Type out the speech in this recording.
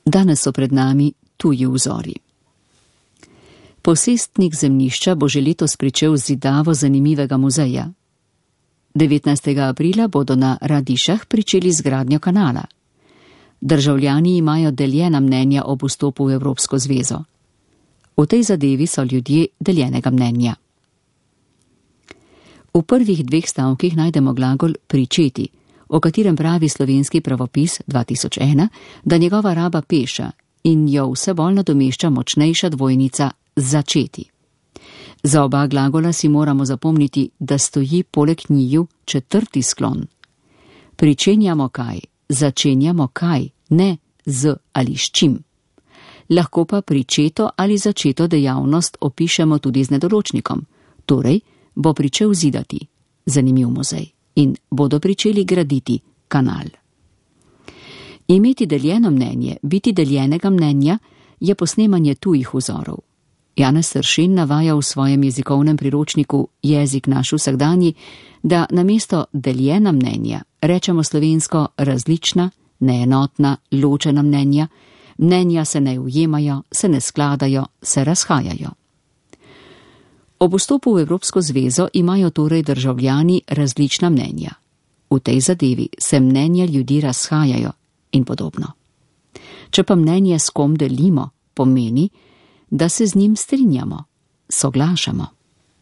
Danes so pred nami tuji vzori. Posestnik zemljišča bo že letos pričel z zidavo zanimivega muzeja. 19. aprila bodo na Radišah pričeli z gradnjo kanala. Državljani imajo deljena mnenja ob vstopu v Evropsko zvezo. V tej zadevi so ljudje deljenega mnenja. V prvih 2 stavkih najdemo glagol pričeti, o katerem pravi slovenski pravopis 2001, da njegova raba peša in jo vse bolj nadomešča močnejša dvojnica začeti. Za oba glagola si moramo zapomniti, da stoji poleg njiju 4. sklon. Pričenjamo kaj, začenjamo kaj, ne z ali s čim. Lahko pa pričeto ali začeto dejavnost opišemo tudi z nedoločnikom, torej bo pričel zidati, zanimiv muzej, in bodo pričeli graditi kanal. Imeti deljeno mnenje, biti deljenega mnenja, je posnemanje tujih vzorov. Janez Sršen navaja v svojem jezikovnem priročniku Jezik naš vsakdanji, da namesto deljena mnenja rečemo slovensko različna, neenotna, ločena mnenja, mnenja se ne ujemajo, se ne skladajo, se razhajajo. Ob vstopu v Evropsko zvezo imajo torej državljani različna mnenja. V tej zadevi se mnenja ljudi razhajajo in podobno. Če pa mnenje s kom delimo, pomeni, da se z njim strinjamo, soglašamo.